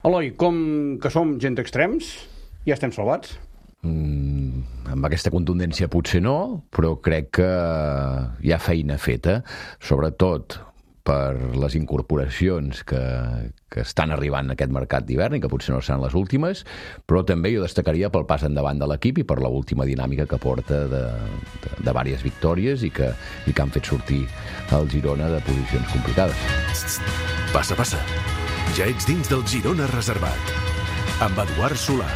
Eloi, com que som gent d'extrems, ja estem salvats? Amb aquesta contundència potser no, però crec que hi ha feina feta, sobretot per les incorporacions que estan arribant en aquest mercat d'hivern i que potser no seran les últimes, però també jo destacaria pel pas endavant de l'equip i per l'última dinàmica que porta de diverses victòries i que han fet sortir el Girona de posicions complicades. Passa, passa. Ja ets dins del Girona Reservat. Amb Eduard Solà.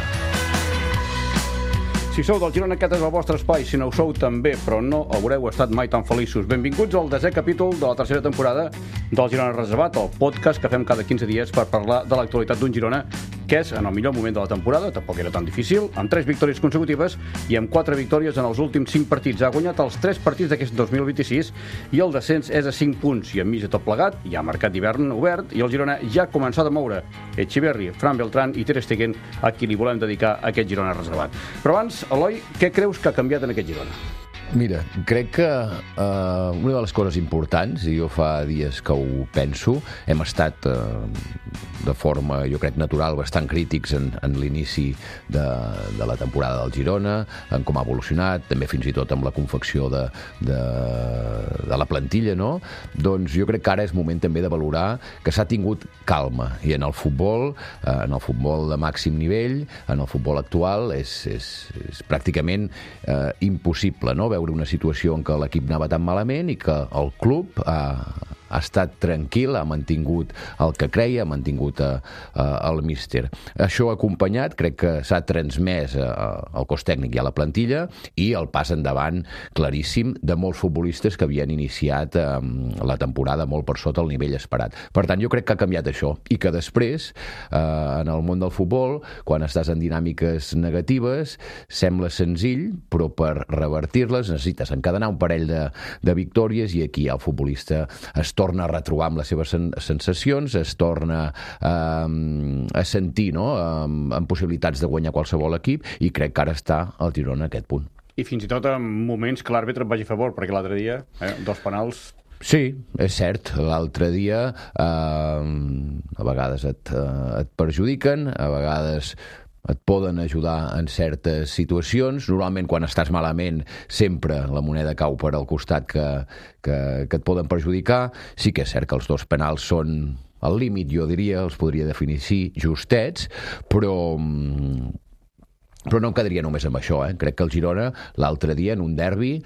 Si sou del Girona, aquest és el vostre espai. Si no ho sou, també, però no haureu estat mai tan feliços. Benvinguts al 10è capítol de la tercera temporada del Girona Reservat, el podcast que fem cada 15 dies per parlar de l'actualitat d'un Girona que és en el millor moment de la temporada, tampoc era tan difícil, amb 3 victòries consecutives i amb 4 victòries en els últims 5 partits. Ha guanyat els 3 partits d'aquest 2026 i el descens és a 5 punts. I enmig de tot plegat hi ha mercat d'hivern obert i el Girona ja ha començat a moure Etxeverri, Fran Beltrán i Ter Stegen, a qui li volem dedicar aquest Girona Reservat. Però abans, Eloi, què creus que ha canviat en aquest Girona? Mira, crec que una de les coses importants, i jo fa dies que ho penso, hem estat de forma, jo crec, natural, bastant crítics en l'inici de la temporada del Girona, en com ha evolucionat, també fins i tot amb la confecció de la plantilla, no? Doncs jo crec que ara és moment també de valorar que s'ha tingut calma, i en el futbol de màxim nivell, en el futbol actual, és pràcticament impossible, no?, veure una situació en què l'equip anava tan malament i que el club ha estat tranquil, ha mantingut el que creia, ha mantingut el míster. Això acompanyat, crec que s'ha transmès al cos tècnic i a la plantilla i el pas endavant claríssim de molts futbolistes que havien iniciat la temporada molt per sota el nivell esperat. Per tant, jo crec que ha canviat això i que després, en el món del futbol, quan estàs en dinàmiques negatives, sembla senzill, però per revertir-les necessites encadenar un parell de victòries i aquí el futbolista es torna a retrobar amb les seves sensacions, es torna a sentir, no?, amb possibilitats de guanyar qualsevol equip, i crec que ara està el Girona a aquest punt. I fins i tot en moments que l'àrbitre et vagi a favor, perquè l'altre dia, 2 penals... Sí, és cert. L'altre dia a vegades et perjudiquen, a vegades et poden ajudar en certes situacions. Normalment, quan estàs malament, sempre la moneda cau per al costat que et poden perjudicar. Sí que és cert que els 2 penals són al límit, jo diria, els podria definir així, justets, però no em quedaria només amb això. Crec que el Girona, l'altre dia, en un derbi,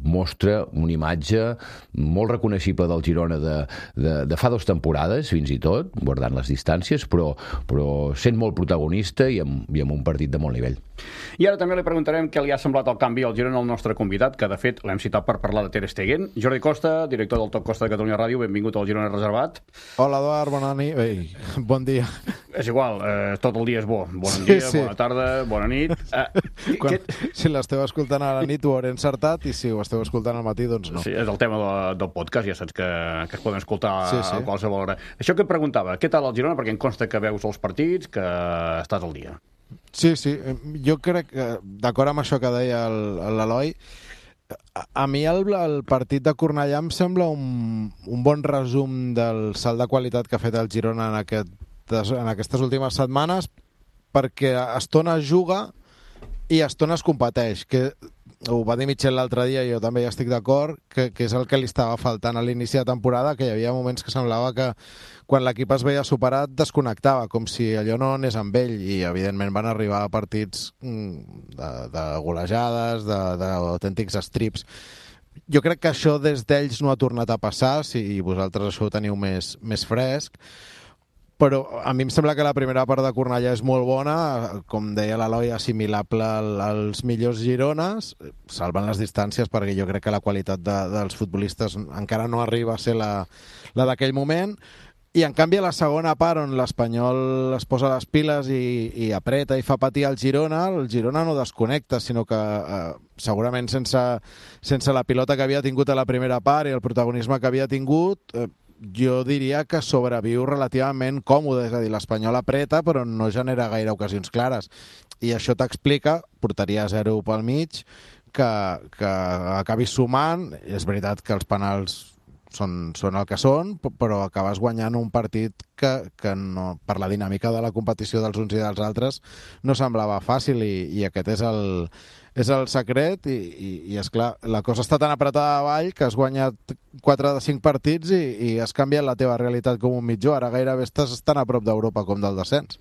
mostra una imatge molt reconeixible del Girona de fa 2 temporades, fins i tot, guardant les distàncies, però sent molt protagonista i amb un partit de molt nivell. I ara també li preguntarem què li ha semblat el canvi al Girona al nostre convidat, que de fet l'hem citat per parlar de Ter Stegen. Jordi Costa, director del Top Costa de Catalunya Ràdio, benvingut al Girona Reservat. Hola, Eduard, bona nit. Ei, bon dia. És igual, tot el dia és bo. Bon dia, sí. Bona tarda, bona nit. Si l'esteu escoltant a la nit ho hauré encertat, i si ho esteu escoltant al matí, doncs no. Sí, és el tema del podcast, ja saps que es poden escoltar a qualsevol hora. Això que et preguntava, què tal el Girona? Perquè em consta que veus els partits, que estàs al dia. Sí, jo crec que, d'acord amb això que deia l'Eloi, a mi el partit de Cornellà em sembla un bon resum del salt de qualitat que ha fet el Girona en aquestes últimes setmanes, perquè a estones juga i a estones competeix, que ho va dir Michel l'altre dia, i jo també hi estic d'acord, que és el que li estava faltant a l'inici de temporada, que hi havia moments que semblava que quan l'equip es veia superat desconnectava, com si allò no anés amb ell, i evidentment van arribar a partits de golejades, d'autèntics strips. Jo crec que això des d'ells no ha tornat a passar, si vosaltres això ho teniu més fresc, però a mi em sembla que la primera part de Cornellà és molt bona, com deia l'Eloi, assimilable als millors Girones, salvant les distàncies, perquè jo crec que la qualitat dels futbolistes encara no arriba a ser la d'aquell moment, i en canvi a la segona part, on l'Espanyol es posa les piles i apreta i fa patir el Girona no desconnecta, sinó que segurament sense la pilota que havia tingut a la primera part i el protagonisme que havia tingut, jo diria que sobreviu relativament còmode, és a dir, l'Espanyol apreta però no genera gaire ocasions clares, i això t'explica, portaria 0 pel mig, que acabi sumant. És veritat que els penals són el que són, però acabes guanyant un partit que no, per la dinàmica de la competició dels uns i dels altres no semblava fàcil, i aquest és el secret, i esclar, la cosa està tan apretada a avall que has guanyat 4 de 5 partits i has canviat la teva realitat com un mitjó. Ara gairebé estàs tan a prop d'Europa com del descens.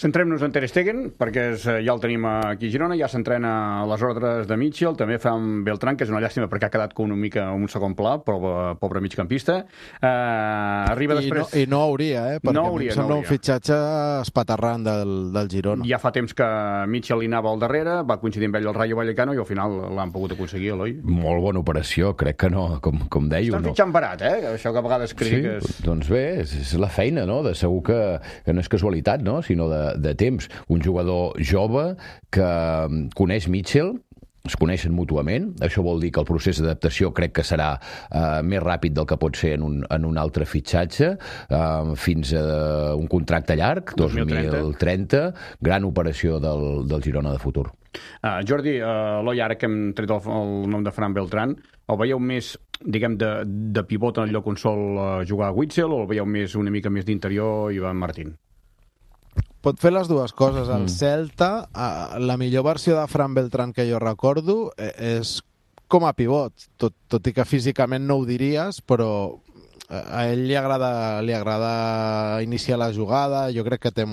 Centrem-nos en Ter Stegen, perquè ja el tenim aquí a Girona, ja s'entrena a les ordres de Mitchell, també fa amb Beltrán, que és una llàstima perquè ha quedat com una mica en un segon pla, però pobre migcampista. Arriba després... I no hauria, perquè em sembla un fitxatge espaterrant del Girona. Ja fa temps que Mitchell li anava al darrere, va coincidir amb ell al Rayo Vallecano i al final l'han pogut aconseguir, Eloi. Molt bona operació, crec que no, com dèieu. Estan fitxant barat, això que a vegades critiques. Sí, doncs bé, és la feina, no? De segur que no és casualitat, no? Sinó de temps. Un jugador jove que coneix Mitchell, es coneixen mútuament. Això vol dir que el procés d'adaptació crec que serà més ràpid del que pot ser en un altre fitxatge, fins a un contracte llarg, 2030, gran operació del Girona de futur. Jordi, Eloi, ara que hem tret el nom de Fran Beltrán, el veieu més, diguem, de pivot en el lloc on sol jugar Witzel, o el veieu més una mica més d'interior Ivan Martín? Pot fer les dues coses. El Celta, la millor versió de Fran Beltrán que jo recordo és com a pivot, tot i que físicament no ho diries, però a ell li agrada iniciar la jugada. Jo crec que té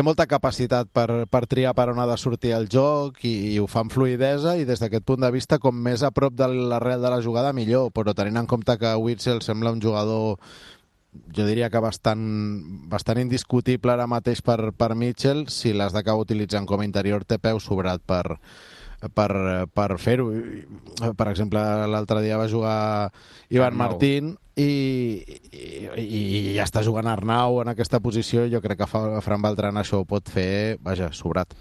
molta capacitat per triar per on ha de sortir el joc, i ho fa amb fluïdesa, i des d'aquest punt de vista, com més a prop de l'arrel de la jugada, millor. Però tenint en compte que Witzel sembla un jugador, jo diria que bastant indiscutible ara mateix per Mitchell, si l'has d'acabar utilitzant com a interior té peu sobrat per fer-ho. Per exemple, l'altre dia va jugar Ivan Martín i ja està jugant Arnau en aquesta posició, i jo crec que Fran Beltrán això ho pot fer, sobrat.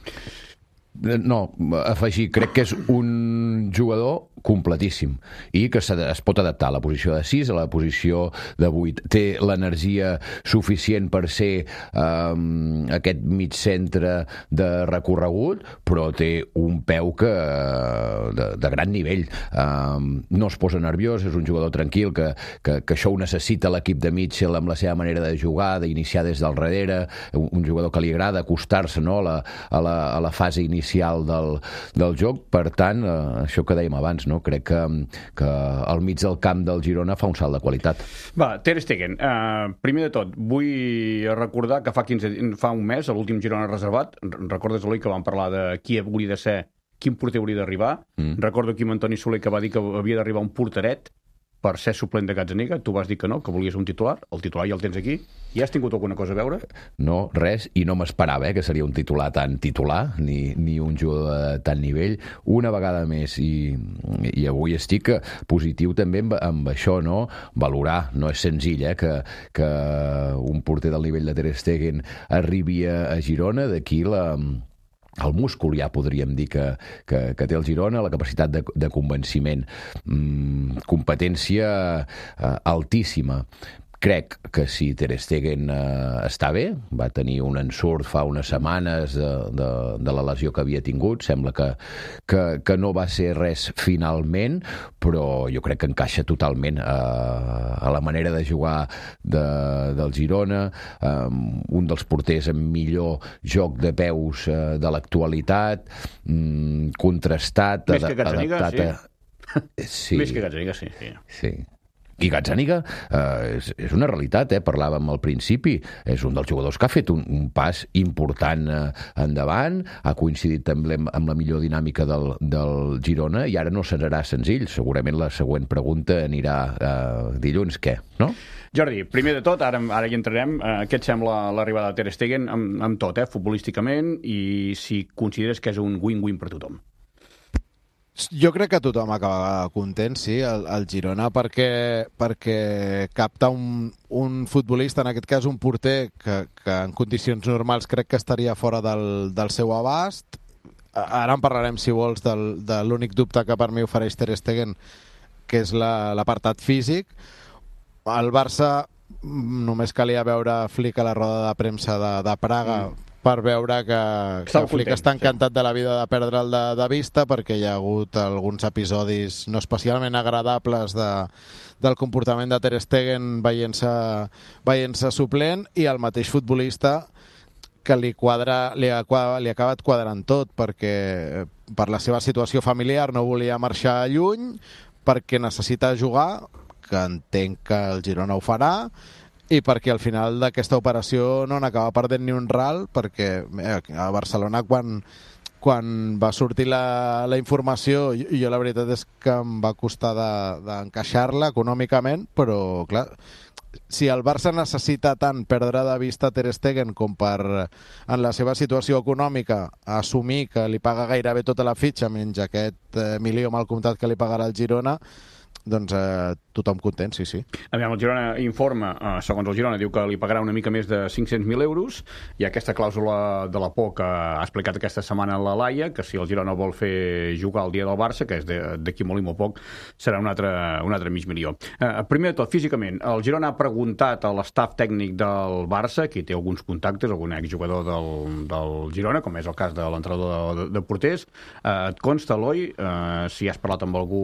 No, afegir, crec que és un jugador completíssim i que es pot adaptar a la posició de 6, a la posició de 8. Té l'energia suficient per ser aquest mig centre de recorregut, però té un peu de gran nivell. No es posa nerviós, és un jugador tranquil, que això ho necessita l'equip de Mitchell amb la seva manera de jugar, d'iniciar des del darrere, un jugador que li agrada acostar-se, no, a la fase inicial del joc. Per tant, això que dèiem abans, no? Crec que al mig del camp del Girona fa un salt de qualitat. Va, Ter Stegen, primer de tot, vull recordar que fa un mes, a l'últim Girona reservat, recordes, Eloi, que vam parlar de qui hauria de ser, quin porter hauria d'arribar. Recordo aquí amb Antoni Soler, que va dir que havia d'arribar un porteret per ser suplent de Gazzaniga. Tu vas dir que no, que volies un titular. El titular ja el tens aquí. I has tingut alguna cosa a veure? No, res, i no m'esperava que seria un titular tan titular, ni un jugador de tant nivell. Una vegada més, i avui estic positiu també amb això, no? Valorar, no és senzill, que un porter del nivell de Ter Stegen arribi a Girona. D'aquí el múscul, ja podríem dir que té el Girona, la capacitat de convenciment, competència altíssima. Crec que si Ter Stegen està bé, va tenir un ensurt fa unes setmanes de la lesió que havia tingut, sembla que no va ser res finalment, però jo crec que encaixa totalment a la manera de jugar del Girona, un dels porters amb millor joc de peus de l'actualitat, contrastat, més que Gazzaniga, sí. Més que Gazzaniga, sí. Sí. I Gazzaniga és una realitat, parlàvem al principi, és un dels jugadors que ha fet un pas important endavant, ha coincidit també amb la millor dinàmica del Girona, i ara no serà senzill. Segurament la següent pregunta anirà dilluns, què, no? Jordi, primer de tot, ara hi entrarem, què et sembla l'arribada de Ter Stegen amb tot, futbolísticament, i si consideres que és un win-win per tothom? Jo crec que tothom acaba content, sí, el Girona, perquè capta un futbolista, en aquest cas un porter, que en condicions normals crec que estaria fora del seu abast. Ara en parlarem, si vols, de l'únic dubte que per mi ofereix Ter Stegen, que és l'apartat físic. El Barça, només calia veure Flick a la roda de premsa de Praga per veure que el Flick està encantat de la vida de perdre'l de vista, perquè hi ha hagut alguns episodis no especialment agradables del comportament de Ter Stegen veient-se suplent, i el mateix futbolista que li ha acabat quadrant tot, perquè per la seva situació familiar no volia marxar lluny, perquè necessita jugar, que entenc que el Girona ho farà, i perquè al final d'aquesta operació no n'acaba perdent ni un ral, perquè a Barcelona quan va sortir la informació, jo la veritat és que em va costar d'encaixar-la econòmicament, però clar, si el Barça necessita tant perdre de vista Ter Stegen com per, en la seva situació econòmica, assumir que li paga gairebé tota la fitxa menys aquest milió mal comptat que li pagarà el Girona, doncs tothom content, sí. Aviam, el Girona informa, segons el Girona, diu que li pagarà una mica més de 500.000 euros, i aquesta clàusula de la por que ha explicat aquesta setmana la Laia, que si el Girona vol fer jugar el dia del Barça, que és d'aquí molt i molt poc, serà un altre mig milió. Primer de tot, físicament, el Girona ha preguntat a l'estaf tècnic del Barça, qui té alguns contactes, algun exjugador del Girona, com és el cas de l'entrenador de porters. Et consta, Eloi, si has parlat amb algú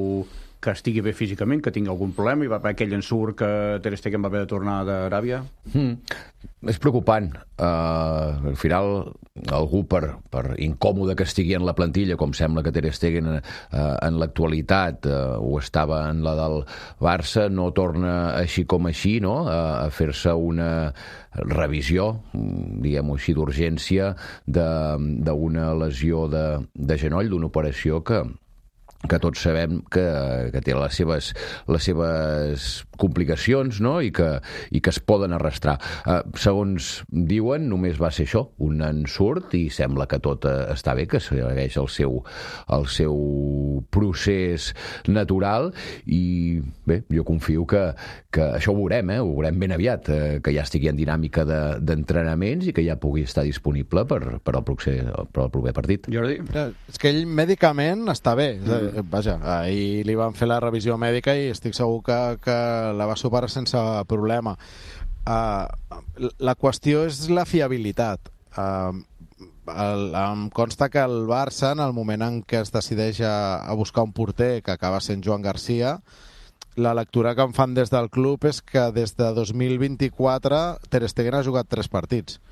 que estigui bé físicament, que tingui algun problema, i va haver aquell ensurt que Ter Stegen va haver de tornar d'Aràbia? És preocupant. Al final, algú per incòmode que estigui en la plantilla, com sembla que Ter Stegen en l'actualitat ho estava en la del Barça, no torna així com així, no?, a fer-se una revisió, diguem-ho així, d'urgència d'una lesió de genoll, d'una operació que tots sabem que té les seves complicacions, no?, i que es poden arrastrar. Segons diuen, només va ser això, un ensurt, i sembla que tot està bé, que segueix el seu procés natural, i bé, jo confio que això ho veurem ben aviat, que ja estigui en dinàmica d'entrenaments i que ja pugui estar disponible per al proper partit. Jordi? És que ell mèdicament està bé. Vaja, ahir li van fer la revisió mèdica i estic segur que la va superar sense problema. La qüestió és la fiabilitat. Em consta que el Barça, en el moment en què es decideix a buscar un porter, que acaba sent Joan Garcia, la lectura que em fan des del club és que des de 2024 Ter Stegen ha jugat 3 partits,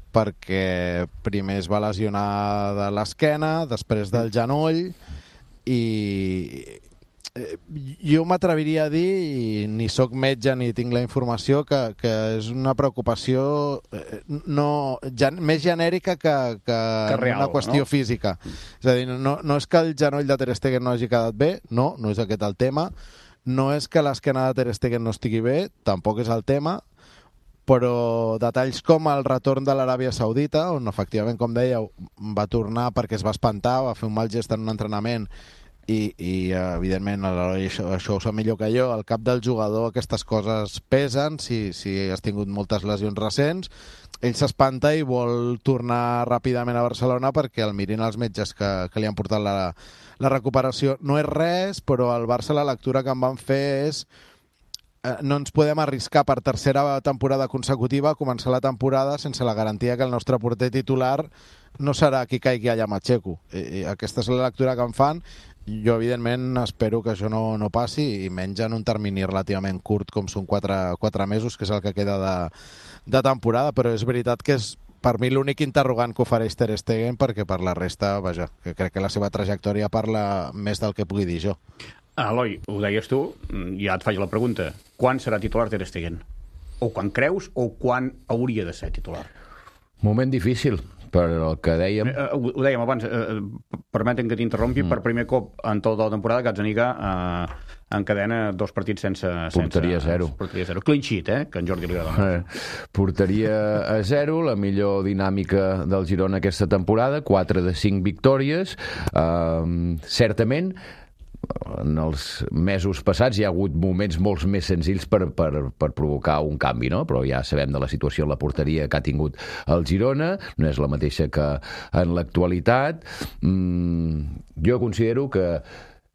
perquè primer es va lesionar de l'esquena, després del genoll, i jo m'atreviria a dir, i ni sóc metge ni tinc la informació, que és una preocupació més genèrica que real, una qüestió física. És a dir, no és que el genoll de Ter Stegen no hagi quedat bé, no és aquest el tema, no és que l'esquena de Ter Stegen no estigui bé, tampoc és el tema, però detalls com el retorn de l'Aràbia Saudita, on efectivament, com dèieu, va tornar perquè es va espantar, va fer un mal gest en un entrenament, i evidentment això ho sap millor que jo, al cap del jugador aquestes coses pesen, si has tingut moltes lesions recents, ell s'espanta i vol tornar ràpidament a Barcelona perquè el mirin els metges que li han portat la recuperació. No és res, però al Barça la lectura que em van fer és no ens podem arriscar per tercera temporada consecutiva a començar la temporada sense la garantia que el nostre porter titular no serà qui caigui allà a Matxeco. Aquesta és la lectura que em fan. Jo, evidentment, espero que això no passi, i menys en un termini relativament curt com són 4 mesos, que és el que queda de temporada, però és veritat que és per mi l'únic interrogant que ofereix Ter Stegen, perquè per la resta, vaja, que crec que la seva trajectòria parla més del que pugui dir jo. Eloi, ho deies tu, ja et faig la pregunta. Quan serà titular Ter Stegen? O quan creus o quan hauria de ser titular? Moment difícil, per el que dèiem. Ho dèiem abans, permeten que t'interrompi, per primer cop en tota la temporada Gazzaniga encadena 2 partits sense... Porteria 0. Porteria 0. Clean sheet, que en Jordi li agrada. Porteria a 0, la millor dinàmica del Girona aquesta temporada, 4 de 5 victòries. Certament, en els mesos passats hi ha hagut moments molt més senzills per provocar un canvi, no? Però ja sabem de la situació en la porteria que ha tingut el Girona, no és la mateixa que en l'actualitat. Jo considero que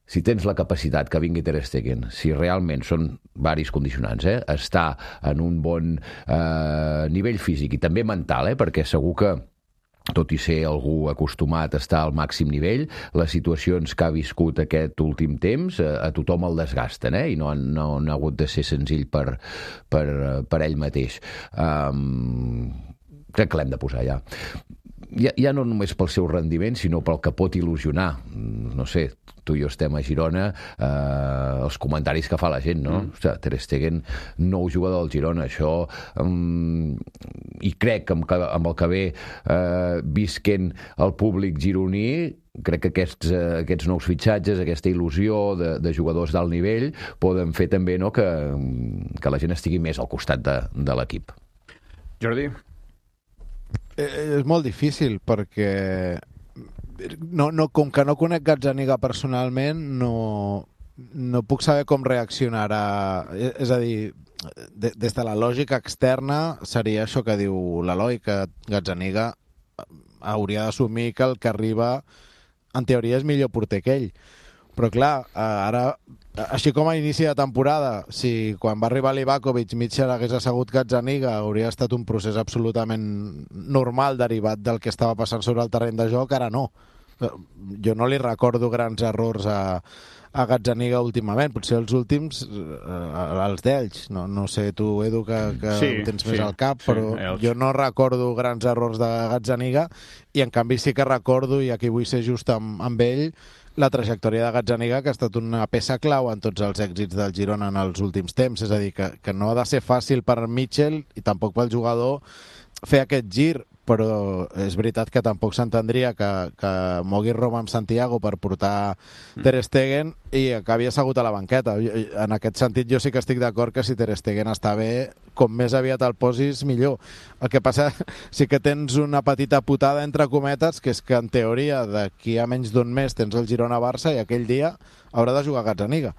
si tens la capacitat que vingui Ter Stegen, si realment són varis condicionants, està en un bon nivell físic i també mental, perquè segur que tot i ser algú acostumat a estar al màxim nivell, les situacions que ha viscut aquest últim temps a tothom el desgasten, i no ha hagut de ser senzill per ell mateix. Crec que l'hem de posar ja. Ja no només pel seu rendiment, sinó pel que pot il·lusionar. No sé, tu i jo estem a Girona, els comentaris que fa la gent, no? Ostres, Ter Stegen, nou jugador del Girona, això... I crec que amb el que ve visquent el públic gironí, crec que aquests nous fitxatges, aquesta il·lusió de jugadors d'alt nivell, poden fer també que la gent estigui més al costat de l'equip. Jordi? És molt difícil perquè com que no conec Gazzaniga personalment no puc saber com reaccionarà. És a dir, des de la lògica externa seria això que diu l'Eloi, que Gazzaniga hauria d'assumir que el que arriba en teoria és millor porter que ell. Però clar, ara, així com a inici de temporada, si quan va arribar Livakovic Mitchell hagués assegut Gazzaniga, hauria estat un procés absolutament normal derivat del que estava passant sobre el terreny de joc, ara no. Jo no li recordo grans errors a Gazzaniga últimament, potser els últims, els d'ells. No sé tu, Edu, que ho tens més al cap, però jo no recordo grans errors de Gazzaniga i en canvi sí que recordo, i aquí vull ser just amb ell, la trajectòria de Gazzaniga, que ha estat una peça clau en tots els èxits del Girona en els últims temps. És a dir, que no ha de ser fàcil per Mitchell i tampoc pel jugador fer aquest gir, però és veritat que tampoc s'entendria que mogui Roma amb Santiago per portar Ter Stegen i acabi assegut a la banqueta. En aquest sentit jo sí que estic d'acord que si Ter Stegen està bé, com més aviat el posis, millor. El que passa sí que tens una petita putada entre cometes, que és que en teoria d'aquí a menys d'un mes tens el Girona-Barça i aquell dia haurà de jugar Gazzaniga.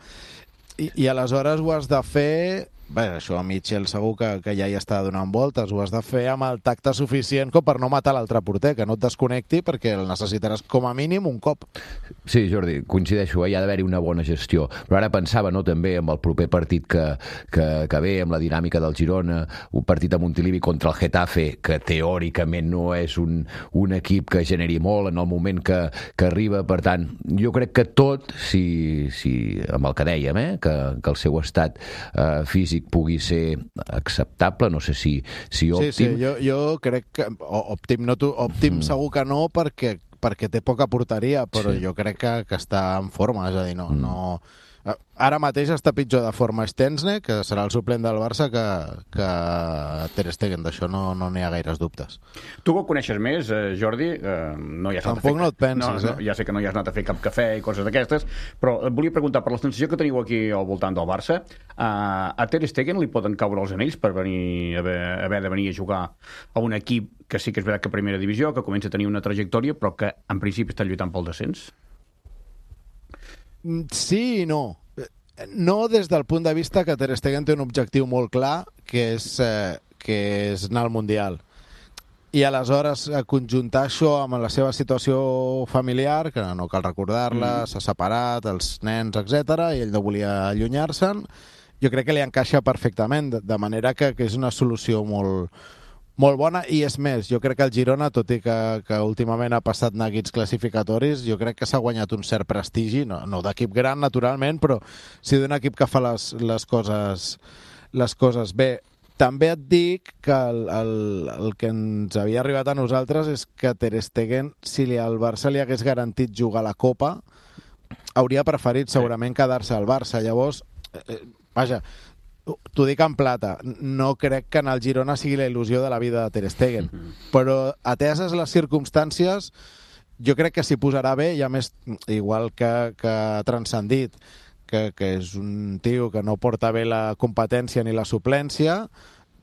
I aleshores ho has de fer... Bé, això a Mitchell segur que ja hi està donant voltes, ho has de fer amb el tacte suficient com per no matar l'altre porter, que no et desconnecti perquè el necessitaràs com a mínim un cop. Sí, Jordi, coincideixo, hi ha d'haver-hi una bona gestió, però ara pensava també amb el proper partit que ve, amb la dinàmica del Girona, un partit a Montilivi contra el Getafe, que teòricament no és un equip que generi molt en el moment que arriba, per tant, jo crec que tot, si amb el que dèiem, que el seu estat físic pugui ser acceptable, no sé si òptim. Sí, jo crec que òptim segur que no, perquè té poca porteria, però jo crec que està en forma, és a dir, no... Ara mateix està pitjor de forma Stensne, que serà el suplent del Barça, que Ter Stegen. D'això no n'hi ha gaires dubtes. Tu que ho coneixes més, Jordi, no hi has anat Tampoc no et penses, ja sé que no hi has anat a fer cap cafè i coses d'aquestes, però et volia preguntar, per la sensació que teniu aquí al voltant del Barça, a Ter Stegen li poden caure els anells per haver de venir a jugar a un equip que sí que és veritat que primera divisió, que comença a tenir una trajectòria, però que en principi està lluitant pel descens? Sí i no. No des del punt de vista que Ter Stegen té un objectiu molt clar, que és anar al Mundial. I aleshores conjuntar això amb la seva situació familiar, que no cal recordar-la, s'ha separat, els nens, etc, i ell no volia allunyar-se'n, jo crec que li encaixa perfectament, de manera que és una solució molt bona, i és més, jo crec que el Girona, tot i que últimament ha passat neguits classificatoris, jo crec que s'ha guanyat un cert prestigi, no d'equip gran, naturalment, però sí d'un equip que fa les coses bé. També et dic que el que ens havia arribat a nosaltres és que Ter Stegen, si al Barça li hagués garantit jugar a la Copa, hauria preferit segurament quedar-se al Barça. Llavors, vaja, t'ho dic en plata, no crec que en el Girona sigui la il·lusió de la vida de Ter Stegen, però ateses les circumstàncies jo crec que s'hi posarà bé, i a més, igual que ha transcendit que és un tio que no porta bé la competència ni la suplència,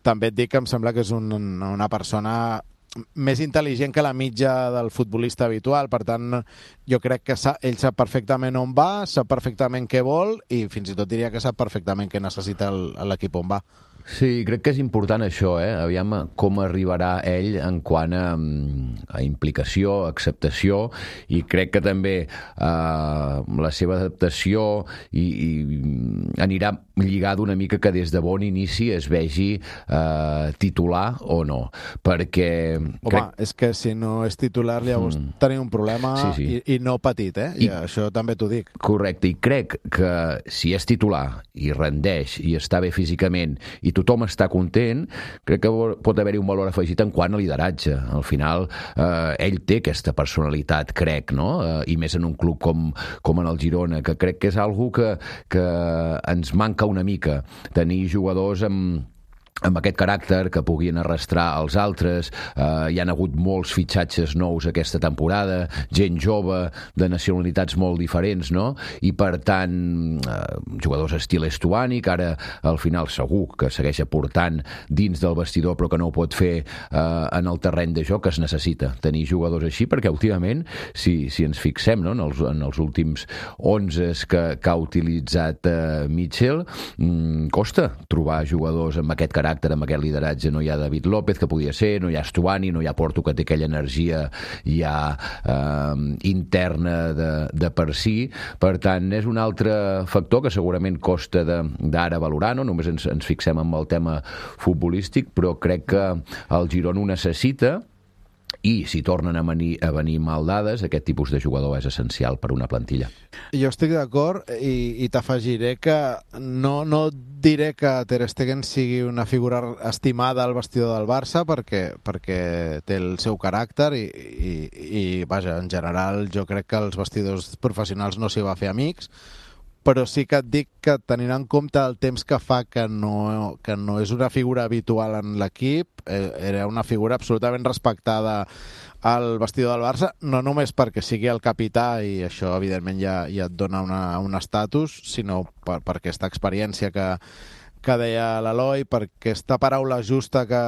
també et dic que em sembla que és una persona més intel·ligent que la mitja del futbolista habitual. Per tant, jo crec que ell sap perfectament on va, sap perfectament què vol, i fins i tot diria que sap perfectament què necessita l'equip on va. Sí, crec que és important això, aviam com arribarà ell en quant a implicació, acceptació, i crec que també la seva adaptació i anirà lligada una mica que des de bon inici es vegi titular o no, perquè... Home, és que si no és titular llavors tenim un problema i no petit, I això també t'ho dic. Correcte, i crec que si és titular i rendeix i està bé físicament i tothom està content, crec que pot haver-hi un valor afegit en quant a lideratge. Al final, ell té aquesta personalitat, crec, no? I més en un club com en el Girona, que crec que és algo que ens manca una mica. Tenir jugadors amb aquest caràcter que puguin arrastrar els altres. Hi han hagut molts fitxatges nous aquesta temporada, gent jove de nacionalitats molt diferents, no? I per tant, jugadors estil Estuani, que ara al final segur que segueix aportant dins del vestidor però que no ho pot fer en el terreny de joc. Es necessita tenir jugadors així, perquè últimament, si ens fixem, no? en els últims 11 que ha utilitzat Mitchell, costa trobar jugadors amb aquest caràcter, amb aquest lideratge. No hi ha David López, que podia ser, no hi ha Estuani, no hi ha Porto, que té aquella energia ja interna de per si. Per tant, és un altre factor que segurament costa d'ara valorar, no? Només ens fixem en el tema futbolístic, però crec que el Girona ho necessita. I si tornen a venir mal dades, aquest tipus de jugador és essencial per una plantilla. Jo estic d'acord i t'afegiré que no diré que Ter Stegen sigui una figura estimada al vestidor del Barça perquè té el seu caràcter i vaja, en general jo crec que els vestidors professionals no s'hi va fer amics, però sí que et dic que tenint en compte el temps que fa que no és una figura habitual en l'equip, era una figura absolutament respectada al vestidor del Barça, no només perquè sigui el capità i això evidentment ja et dona un estatus, sinó per aquesta experiència que deia l'Eloi, per aquesta paraula justa que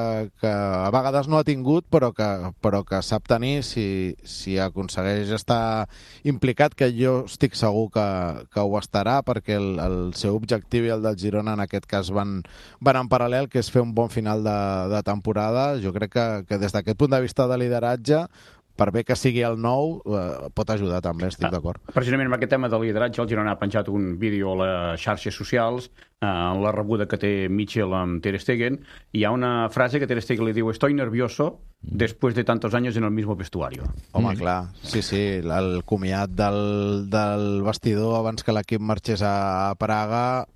a vegades no ha tingut però que sap tenir si aconsegueix estar implicat, que jo estic segur que ho estarà, perquè el seu objectiu i el del Girona en aquest cas van en paral·lel, que és fer un bon final de temporada. Jo crec que des d'aquest punt de vista de lideratge, per bé que sigui el nou, pot ajudar també, estic d'acord. Precisament amb aquest tema de lideratge, el Girona ha penjat un vídeo a les xarxes socials en la rebuda que té Mitchell amb Ter Stegen. Hi ha una frase que Ter Stegen li diu: "Estoy nervioso después de tantos años en el mismo vestuario". Home, clar, sí, el comiat del vestidor abans que l'equip marxés a Praga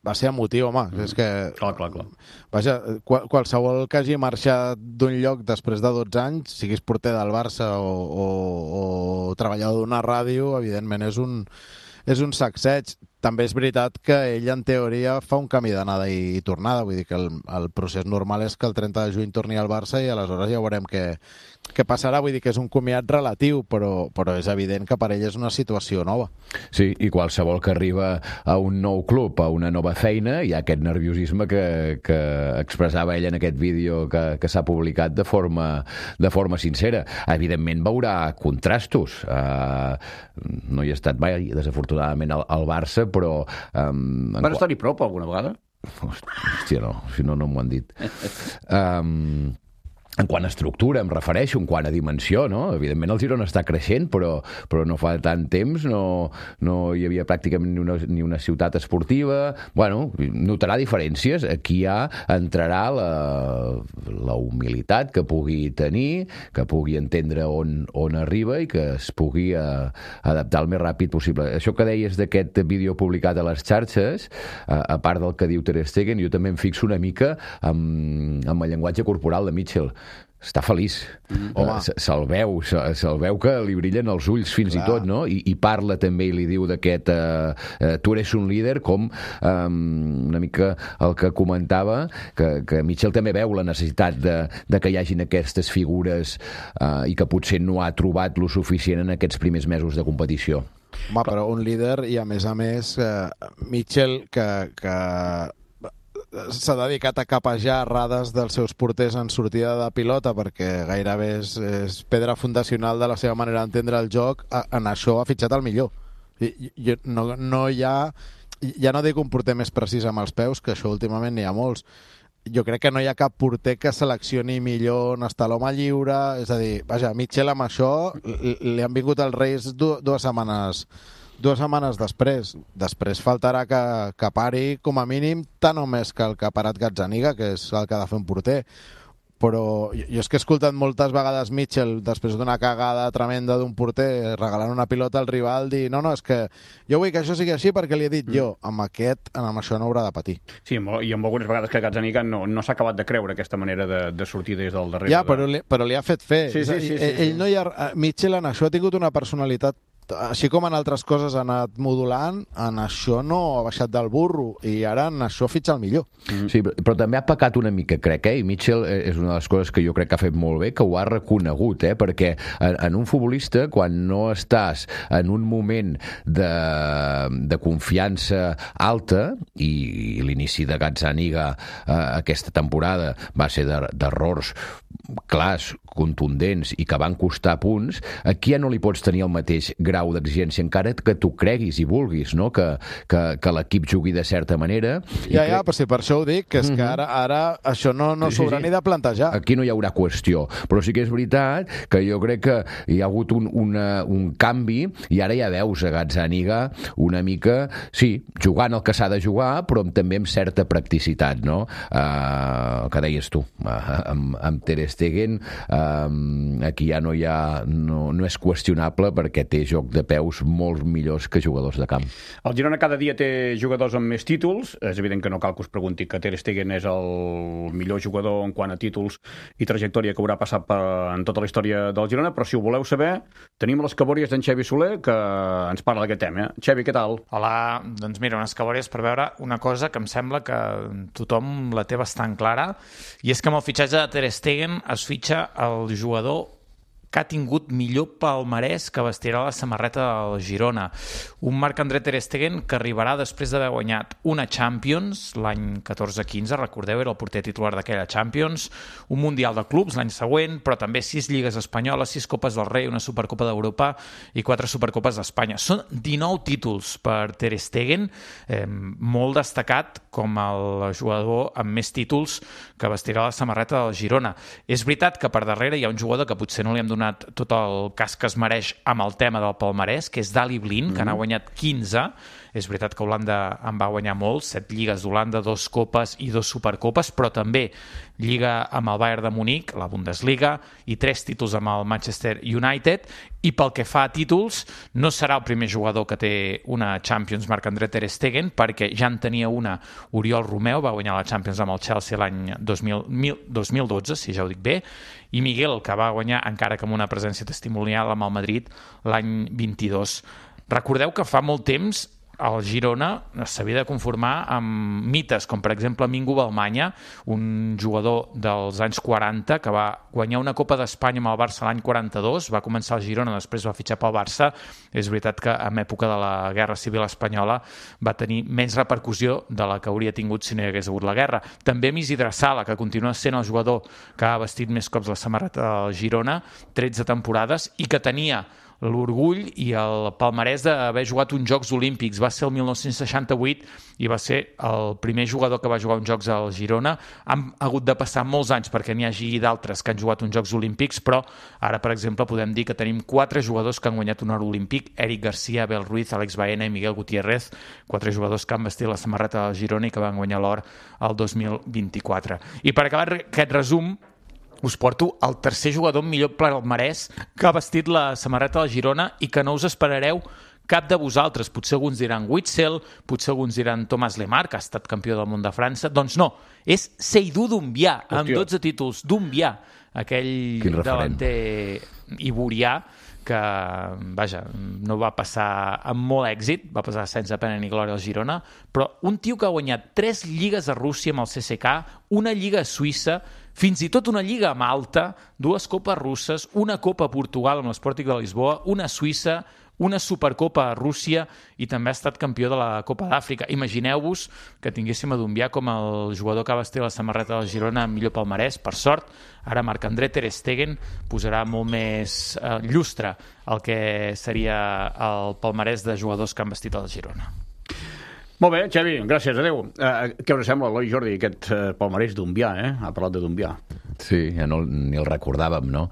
va ser emotiu, home. És que... Clar. Vaja, qualsevol que hagi marxat d'un lloc després de 12 anys, siguis porter del Barça o treballador d'una ràdio, evidentment és un sacseig. També és veritat que ell, en teoria, fa un camí d'anada i tornada. Vull dir que el procés normal és que el 30 de juny torni al Barça i aleshores ja veurem què passarà. Vull dir que és un comiat relatiu, però és evident que per ell és una situació nova. Sí, i qualsevol que arriba a un nou club, a una nova feina, hi ha aquest nerviosisme que expressava ell en aquest vídeo que s'ha publicat de forma sincera. Evidentment veurà contrastos. No hi ha estat mai, desafortunadament, al Barça, però... Vas estar-hi prop alguna vegada? Hòstia, no, si no m'ho han dit. En quant a estructura, em refereixo, en quant a dimensió, no? Evidentment el Girona està creixent, però no fa tant temps no hi havia pràcticament ni una ciutat esportiva. Bueno, notarà diferències. Aquí ja entrarà la humilitat que pugui tenir, que pugui entendre on arriba i que es pugui adaptar el més ràpid possible. Això que deies d'aquest vídeo publicat a les xarxes, a part del que diu Ter Stegen, jo també em fixo una mica amb el llenguatge corporal de Mitchell. Està feliç. Se'l veu que li brillen els ulls fins i tot, no? I parla també i li diu d'aquest tu eres un líder, com una mica el que comentava, que Mitchell també veu la necessitat de que hi hagin aquestes figures i que potser no ha trobat lo suficient en aquests primers mesos de competició. Home, però un líder, i a més Mitchell, que s'ha dedicat a capejar errades dels seus porters en sortida de pilota, perquè gairebé és pedra fundacional de la seva manera d'entendre el joc, en això ha fitxat el millor. No hi ha ja no dic un porter més precís amb els peus, que això últimament n'hi ha molts. Jo crec que no hi ha cap porter que seleccioni millor on està l'home lliure, és a dir, vaja, Mitchell amb això li han vingut els Reis dues setmanes després. Després faltarà que pari com a mínim tant o més que el que ha parat Gazzaniga, que és el que ha de fer un porter. Però jo és que he escoltat moltes vegades Mitchell, després d'una cagada tremenda d'un porter, regalant una pilota al rival, dir no, és que jo vull que això sigui així perquè li he dit jo. Amb això no haurà de patir. Sí, i amb algunes vegades que Gazzaniga no s'ha acabat de creure aquesta manera de sortir des del darrere. Ja, però li ha fet fer. Sí. Ell no hi ha... Mitchell en això ha tingut una personalitat, així com en altres coses ha anat modulant, en això no ha baixat del burro, i ara en això fitxa el millor. Sí, però també ha pecat una mica, crec, i Mitchell és una de les coses que jo crec que ha fet molt bé, que ho ha reconegut, perquè en un futbolista, quan no estàs en un moment de confiança alta, i l'inici de Gazzaniga aquesta temporada va ser d'errors clars, contundents i que van costar punts, aquí ja no li pots tenir el mateix grau d'exigència, encara que tu creguis i vulguis, no? que l'equip jugui de certa manera. Ja, però si per això ho dic, que és que ara això no s'haurà ni de plantejar. Aquí no hi haurà qüestió, però sí que és veritat que jo crec que hi ha hagut un canvi, i ara ja veus a Gazzaniga una mica, sí, jugant el que s'ha de jugar, però també amb certa practicitat, no? Que deies tu, amb Ter Stegen, aquí ja no és qüestionable perquè té joc de peus molt millors que jugadors de camp. El Girona cada dia té jugadors amb més títols. És evident que no cal que us pregunti que Ter Stegen és el millor jugador en quant a títols i trajectòria que haurà passat en tota la història del Girona, però si ho voleu saber, tenim les cabòries d'en Xevi Soler, que ens parla d'aquest tema. Xevi, què tal? Hola, doncs mira, unes cabòries per veure una cosa que em sembla que tothom la té bastant clara, i és que amb el fitxatge de Ter Stegen es fitxa el jugador que ha tingut millor palmarès que vestirà la samarreta del Girona. Un Marc-André Ter Stegen que arribarà després d'haver guanyat una Champions l'any 14-15, recordeu, era el porter titular d'aquella Champions, un Mundial de Clubs l'any següent, però també 6 Lligues Espanyoles, 6 Copes del Rei, una Supercopa d'Europa i 4 Supercopes d'Espanya. Són 19 títols per Ter Stegen, molt destacat com el jugador amb més títols que vestirà la samarreta del Girona. És veritat que per darrere hi ha un jugador que potser no li hem donat tot el cas que es mereix amb el tema del palmarès, que és Daley Blind, que n'ha guanyat 15. És veritat que Holanda en va guanyar molts, 7 lligues d'Holanda, 2 copes i 2 supercopes, però també lliga amb el Bayern de Munic, la Bundesliga, i 3 títols amb el Manchester United. I pel que fa a títols, no serà el primer jugador que té una Champions, Marc-André Ter Stegen, perquè ja en tenia una Oriol Romeu, va guanyar la Champions amb el Chelsea l'any 2012, si ja ho dic bé, i Miguel, que va guanyar, encara que amb una presència testimonial, amb el Madrid l'any 22. Recordeu que fa molt temps el Girona s'havia de conformar amb mites, com per exemple Mingo Balmanya, un jugador dels anys 40 que va guanyar una Copa d'Espanya amb el Barça l'any 42, va començar al Girona, després va fitxar pel Barça. És veritat que en època de la Guerra Civil Espanyola va tenir menys repercussió de la que hauria tingut si no hi hagués hagut la guerra. També amb Isidre Sala, que continua sent el jugador que ha vestit més cops la samarreta del Girona, 13 temporades, i que tenia l'orgull i el palmarès d'haver jugat uns Jocs Olímpics. Va ser el 1968 i va ser el primer jugador que va jugar uns Jocs al Girona. Han hagut de passar molts anys perquè n'hi hagi d'altres que han jugat uns Jocs Olímpics, però ara, per exemple, podem dir que tenim 4 jugadors que han guanyat un or olímpic: Eric Garcia, Abel Ruiz, Alex Baena i Miguel Gutiérrez, 4 jugadors que han vestit la samarreta del Girona i que van guanyar l'or el 2024. I per acabar aquest resum, us porto el tercer jugador amb millor palmarès que ha vestit la samarreta del Girona i que no us esperareu cap de vosaltres. Potser alguns diran Witzel, potser alguns diran Thomas Lemar, que ha estat campió del món de França. Doncs no, és Seydou Doumbia, amb 12 títols. Doumbia, aquell davanter iborià que, vaja, no va passar amb molt èxit, va passar sense pena ni glòria al Girona, però un tio que ha guanyat 3 lligues a Rússia amb el CSKA, una lliga a Suïssa, fins i tot una lliga a Malta, 2 copes russes, una copa a Portugal amb l'Sporting de Lisboa, una a Suïssa, una Supercopa a Rússia i també ha estat campió de la Copa d'Àfrica. Imagineu-vos que tinguéssim a Doumbia com el jugador que va vestir la samarreta del Girona amb millor palmarès. Per sort, ara Marc-André Ter Stegen posarà molt més llustre el que seria el palmarès de jugadors que han vestit el Girona. Molt bé, Xavi, gràcies, adeu. Què us sembla, Eloi Jordi, aquest palmarès d'Umbià, Ha parlat de d'Umbià. Sí, ja ni el recordàvem, no?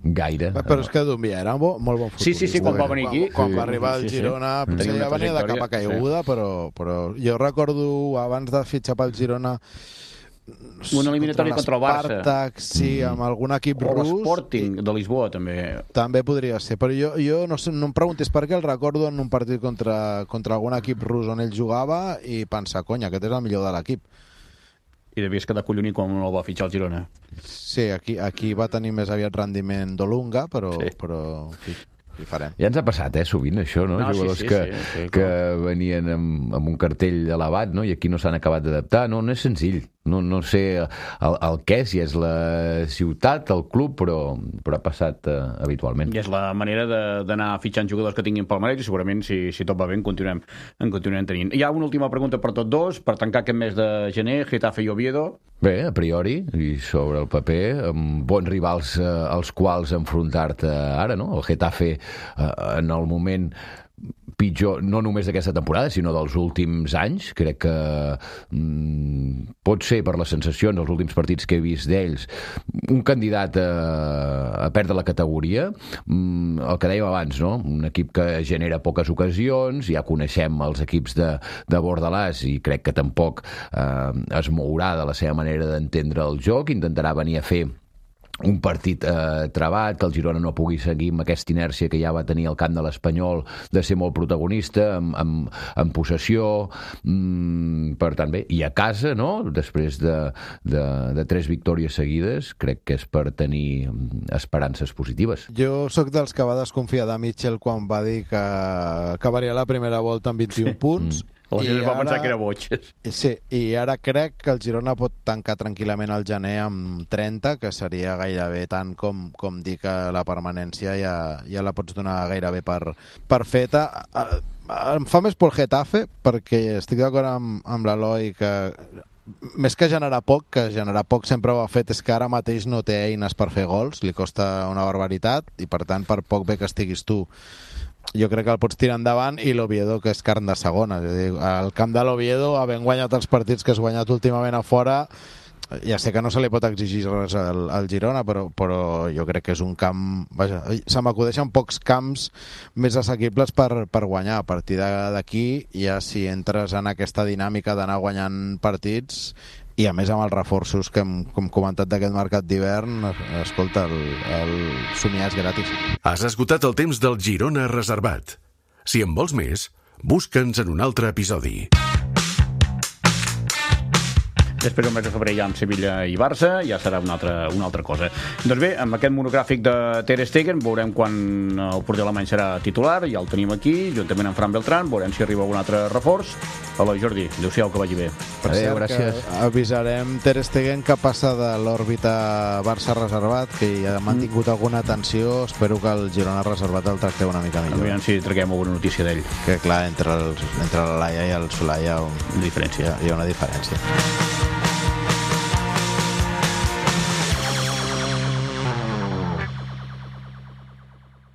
Gaire. Però és que Dumbià era molt bon futbolista. Sí, quan va venir aquí. Quan va arribar al Girona, potser ja venia de capa caiguda, però jo recordo, abans de fitxar pel Girona, una eliminatòria contra el Barça. Spartak, sí, amb algun equip rus. O l'Sporting de Lisboa, també. També podria ser, però jo no em preguntis per què, el recordo en un partit contra algun equip rus on ell jugava i pensar, cony, aquest és el millor de l'equip. I devies quedar collonit quan el va fitxar el Girona. Sí, aquí va tenir més aviat rendiment d'Olunga, però en fi, hi farem. Ja ens ha passat, sovint, això, no? Jugadors que venien amb un cartell elevat, no? I aquí no s'han acabat d'adaptar. No és senzill. No sé el què, si és la ciutat, el club, però ha passat habitualment. I és la manera d'anar fitxant jugadors que tinguin palmarès i segurament, si tot va bé, en continuem tenint. Hi ha una última pregunta per tots dos, per tancar aquest mes de gener, Getafe i Oviedo. Bé, a priori, i sobre el paper, amb bons rivals als quals enfrontar-te ara, no? El Getafe, en el moment pitjor, no només d'aquesta temporada, sinó dels últims anys. Crec que pot ser, per les sensacions, els últims partits que he vist d'ells, un candidat a perdre la categoria. El que dèiem abans, no? Un equip que genera poques ocasions, ja coneixem els equips de Bordalàs i crec que tampoc es mourà de la seva manera d'entendre el joc, intentarà venir a fer un partit trabat, que el Girona no pugui seguir amb aquesta inèrcia que ja va tenir al camp de l'Espanyol de ser molt protagonista, amb possessió, per tant bé, i a casa, no? Després de 3 victòries seguides, crec que és per tenir esperances positives. Jo sóc dels que va desconfiar de Mitchell quan va dir que acabaria la primera volta amb 21 punts. La gent va pensar que era boig. Sí, i ara crec que el Girona pot tancar tranquil·lament el gener amb 30, que seria gairebé tant com dir que la permanència ja la pots donar gairebé per feta. Em fa més por el Getafe, perquè estic d'acord amb l'Eloi que més que generar poc sempre ho ha fet, és que ara mateix no té eines per fer gols, li costa una barbaritat, i per tant, per poc bé que estiguis tu, jo crec que el pots tirar endavant, i l'Oviedo, que és carn de segona. És a dir, al camp de l'Oviedo, havent guanyat els partits que has guanyat últimament a fora, ja sé que no se li pot exigir res al Girona, però jo crec que és un camp... Vaja, se m'acudeixen pocs camps més assequibles per guanyar. A partir d'aquí, ja si entres en aquesta dinàmica d'anar guanyant partits, i a més amb els reforços que hem comentat d'aquest mercat d'hivern, escolta, el somiar és gratis. Has esgotat el temps del Girona reservat. Si en vols més, busca'ns en un altre episodi. Després del mes de febrer ja amb Sevilla i Barça, ja serà una altra cosa. Doncs bé, amb aquest monogràfic de Ter Stegen veurem quan el porter alemany serà titular, ja el tenim aquí, juntament amb Fran Beltrán, veurem si arriba un altre reforç. Eloi, Jordi, adéu-siau, que vagi bé. Per cert, gràcies. Avisarem Ter Stegen que passa de l'òrbita Barça reservat, que ja ha mantingut alguna tensió. Espero que el Girona reservat el tracteu una mica millor. Aviam si traguem alguna notícia d'ell. Que clar, entre la Laia i el Solà hi ha una diferència.